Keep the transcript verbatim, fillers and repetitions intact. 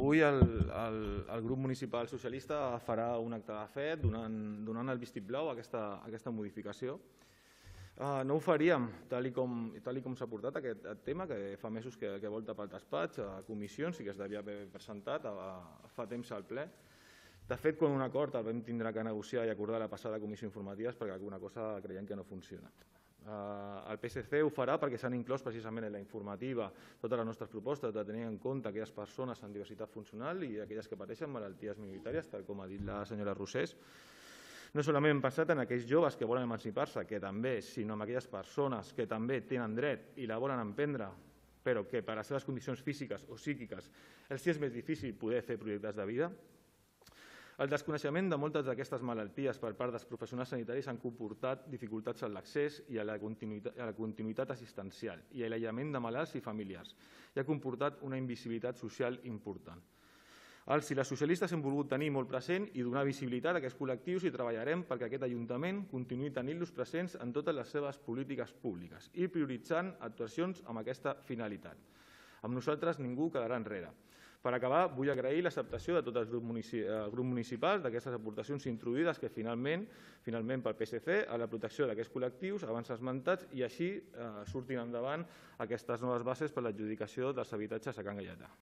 Avui el, el, el grup municipal socialista farà un acte de fe donant, donant el vistiplau a aquesta, a aquesta modificació. Uh, no ho faríem, tal i com, tal i com s'ha portat aquest tema, que fa mesos que, que volta pel despatx, a comissions i que es devia haver presentat a, a, fa temps al ple. De fet, quan un acord el vam tindre que negociar i acordar la passada comissió informativa perquè alguna cosa creiem que no funciona. Uh, el P S C ho farà perquè s'han inclòs precisament en la informativa totes les nostres propostes de tenir en compte aquelles persones amb diversitat funcional i aquelles que pateixen malalties minoritàries, tal com ha dit la senyora Rosés. No solament hem pensat en aquells joves que volen emancipar-se, que també, sinó en aquelles persones que també tenen dret i la volen emprendre, però que per les seves condicions físiques o psíquiques els és més difícil poder fer projectes de vida. El desconeixement de moltes d'aquestes malalties per part dels professionals sanitaris han comportat dificultats en l'accés i a la continuïtat, a la continuïtat assistencial i a l'aïllament de malalts i familiars i ha comportat una invisibilitat social important. Els i les socialistes hem volgut tenir molt present i donar visibilitat a aquests col·lectius i treballarem perquè aquest Ajuntament continuï tenint-los presents en totes les seves polítiques públiques i prioritzant actuacions amb aquesta finalitat. Amb nosaltres ningú quedarà enrere. Per acabar, vull agrair l'acceptació de tots els grups municipals d'aquestes aportacions introduïdes que finalment, finalment pel P S C, a la protecció d'aquests col·lectius abans esmentats i així eh, surtin endavant aquestes noves bases per l'adjudicació dels habitatges a Can Gaietà.